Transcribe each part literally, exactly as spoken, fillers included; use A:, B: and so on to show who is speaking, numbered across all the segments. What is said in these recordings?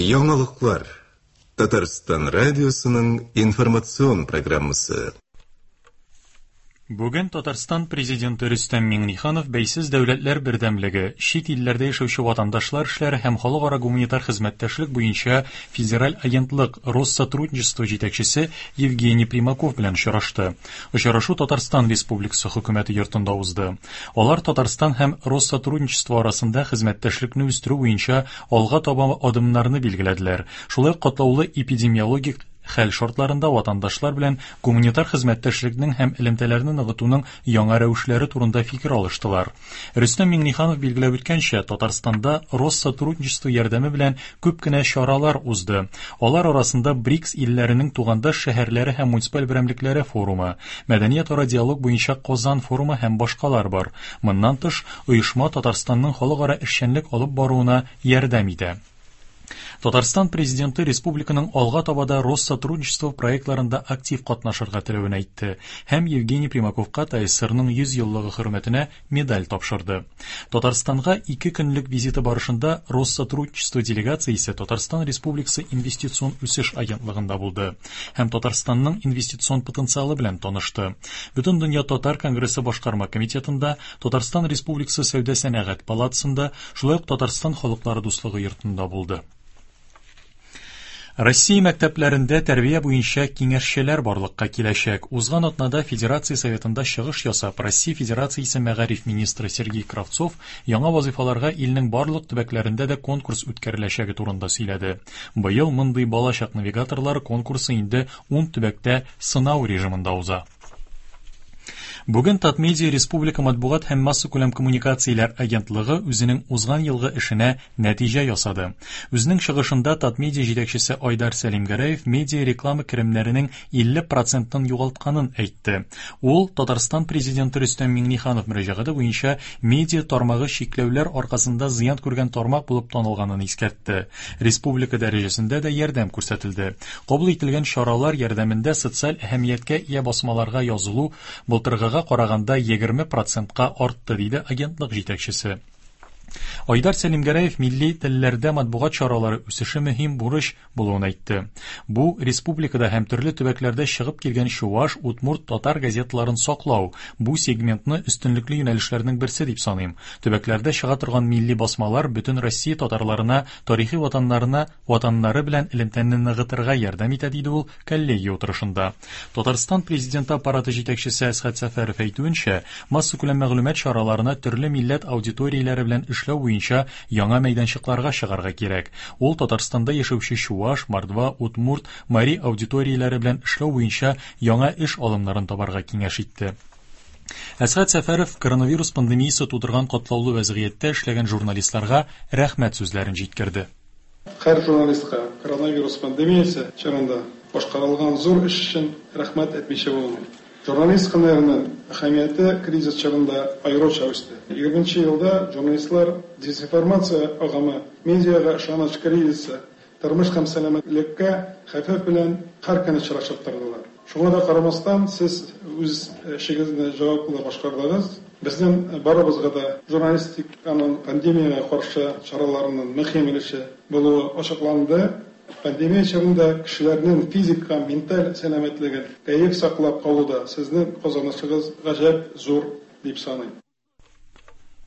A: Яңалыклар. Татарстан радиосының информацион программасы.
B: Бүген Татарстан президенты Рөстәм Миңнеханов Бәйсез дәүләтләр бердәмлеге, чит илләрдә яшәүче ватандашлар эшләре һәм халыкара гуманитар хезмәттәшлек буенча федераль агентлык Россотрудничество җитәкчесе Евгений Примаков белән очрашты. Очрашу Татарстан Республикасы хөкүмәте йортында узды. Алар Татарстан һәм Россотрудничество арасында хезмәттәшлекне үстерү буенча алга таба адымнарны билгеләделәр. Шулай ук катлаулы эпидемиологик хәл шартларында ватандашлар белән гуманитар хезмәттәшлекнең һәм элемтәләрне ныгытуның яңа рәвешләре турында фикер алыштылар. Рөстәм Миңнеханов билгеләп үткәнчә, Татарстанда Россотрудничество ярдәме белән күп кенә чаралар узды. Алар арасында БРИКС илләренең тугандаш шәһәрләре һәм муниципаль берәмлекләре форумы, мәдәниятара диалог буенча Казан форумы һәм башкалар бар. Моннан тыш, оешма Татарстанның халыкара эшчәнлек алып баруына ярдәм итә. Татарстан президенты республиканың алга таба да Россотрудничество проектларында актив катнашырга теләвен әйтте һәм Евгений Примаковка ТАССРның йөз еллыгы хөрмәтенә медаль тапшырды. Татарстанга ике көнлек визиты барышында Россотрудничество делегациясе Татарстан Республикасы инвестицион үсеш агентлыгында булды һәм Татарстанның инвестицион потенциалы белән танышты. Бөтендөнья татар конгрессы башкарма комитетында, Татарстан Республикасы Сәүдә сәнәгать палатасында, шулай ук Татарстан халыклары дуслыгы йортында булды. Россия мәктәпләрендә тәрбия буенча киңәшчеләр барлыкка киләчәк. Узган атнада Федерация Советында чыгыш ясап, Россия Федерациясе мәгариф министры Сергей Кравцов яңа вазифаларга илнең барлык төбәкләрендә дә конкурс үткәреләчәге турында сөйләде. Быел мондый балачак навигаторлары конкурсы инде ун төбәктә сынау режимында уза. Бүген Татмедиа Республика матбугат һәм массакүләм коммуникацияләр агентлыгы үзенең узган елгы эшенә нәтиҗә ясады. Үзенең чыгышында Татмедиа җитәкчесе Айдар Сәлимгәрәев медиа реклама керемнәренең илле процентын югалтканын әйтте. Ул Татарстан президенты Рөстәм Миңнеханов мөрәҗәгате буенча медиа тармагы чикләүләр аркасында зыян күргән тармак булып танылганын искәртте. Республика дәрәҗәсендә дә ярдәм күрсәтелде. Кабул ителгән чаралар ярдәмендә социаль әһәмияткә ия басмаларга язылу былтыргыга караганда егерме процентка артты, диде агентлык җитәкчесе. Айдар Сәлимгәрәев милли телләрдә матбугат чаралары үсеше мөһим бурыч булуын әйтте. Бу республикада һәм төрле төбәкләрдә чыгып килгән чуваш, удмурт, татар газеталарын саклау, бу сегментны өстенлекле юнәлешләрнең берсе дип саныйм. Төбәкләрдә чыга торган милли басмалар бөтен Россия татарларына, тарихи ватаннарына, ватаннары белән элемтәне ныгытырга ярдәм итә, диде ул коллегия утырышында. Татарстан президенты аппараты җитәкчесе Әсхәт Сәфәров әйтүенчә, массакүләм мәгълүмат чараларына төрле милләт аудиторияләре белән эшләү буенча яңа мәйданчыкларга чыгарга кирәк. Ул Татарстанда яшәүче чуваш, мордва, удмурт, мари аудиторияләре белән эшләү буенча яңа эш алымнарын табарга киңәш итте. Әсхәт Сәфәров коронавирус пандемиясе тудырган катлаулы вәзгыятьтә эшләгән журналистларга рәхмәт сүзләрен җиткерде.
C: Һәр журналистка коронавирус пандемиясе чорында башкарылган зур эш өчен рәхмәт әйтмичә булмый. Журналист һөнәренең әһәмияте кризис чорында аеруча үсте. Егерменче елда журналистлар дезинформация агымы, медиага ышаныч кризисы, тормыш һәм сәламәтлеккә хәвеф белән һәр көн очрашып тордылар. Шуңа да карамастан, сез үз эшегезне җаваплы башкардыгыз. Безнең барыбызга да журналистиканың пандемиягә каршы чараларының мөһим өлеше булуы ачыкланды. Пандемия чорында кешеләрнең физик һәм менталь сәламәтлеген кәеф саклап калуда сезнең казанышыгыз гаҗәп зур дип саныйм.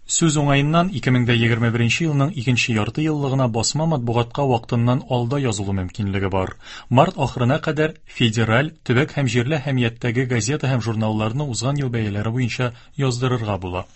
B: Сүз уңаеннан ике мең дә егерме беренче елның икенче ярты еллыгына басма матбугатка вакытыннан алда язылу мөмкинлеге бар. Март ахырына кадәр федераль, төбәк һәм җирле әһәмияттәге газета һәм журналларны узган ел бәяләре буенча яздырырга була.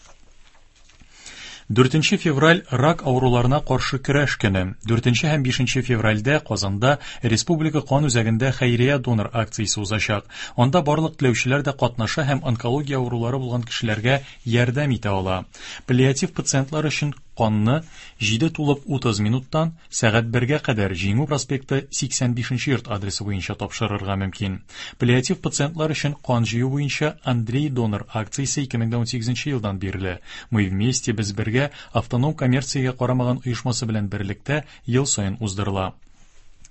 B: Дүртенче февраль рак авыруларына каршы көрәш көне. Дүртенче һәм бишенче февральдә Казанда Республика кан үзәгендә хәйрия донор акциясе узачак. Анда барлык теләүчеләр дә катнаша һәм онкология авырулары булган кешеләргә ярдәм итә ала. Паллиатив пациентлар өчен канны җиде тулып утыз минуттан сәгать бергә кадәр Җиңү проспекты сиксән бишенче йорт адресы буенча тапшырырга мөмкин. Паллиатив пациентлар өчен кан җыю буенча Андрей донор акциясе ике мең унсигезенче елдан бирле. Мы вместе, без бергә автоном коммерциягә карамаган оешмасы белән берлектә ел саен уздырыла.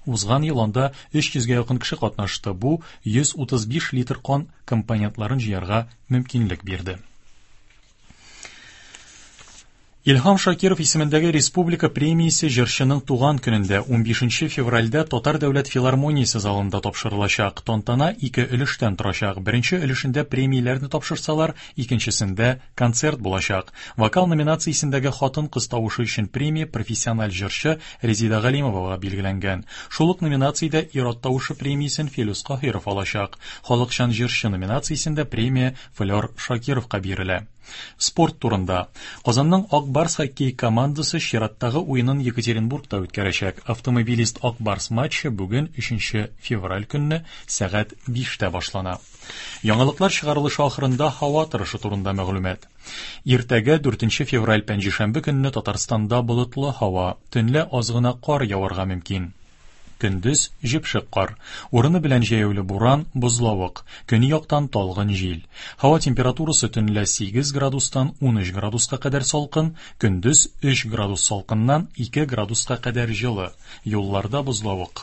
B: Узган ел анда өч йөзгә якын кеше катнашты. Бу йөз утыз биш литр кан компонентларын җыярга мөмкинлек бирде. Илһам Шакиров исемендәге республика премиясе җырчының туган көнендә унбишенче февральдә Татар дәүләт филармониясе залында тапшырылачак. Тантана ике өлештән торачак. Беренче өлешендә премияләрне тапшырсалар, икенчесендә концерт булачак. Вокал номинациясендәге хатын-кыз тавышы өчен премия профессиональ җырчы Резида Галимовага билгеләнгән. Шул ук номинациядә ир-ат тавышы премиясен Филүс Каһиров алачак. Халыкчан җырчы номинациясендә премия Флёр Шакировка бирелә. Спорт турында. Казанның Ак Барс хоккей командасы чираттагы уенын Екатеринбургта үткәрәчәк. Автомобилист Ак Барс матчы бүген өченче февраль көнне сәгать биштә башлана. Яңалыклар чыгарылышы ахырында һава торышы турында мәгълүмат. Иртәгә дүртенче февраль пәнҗешәмбе көнне Татарстанда болытлы һава, төнлә аз гына кар яварга мөмкин. Көндез җепшек кар, урыны белән җәяүле буран, бозлавык, көньяктан талгын җил. Һава температурасы төнлә сигез градустан ун өч градуска кадәр салкын, көндез өч градус салкыннан ике градуска кадәр җылы. Юлларда бозлавык.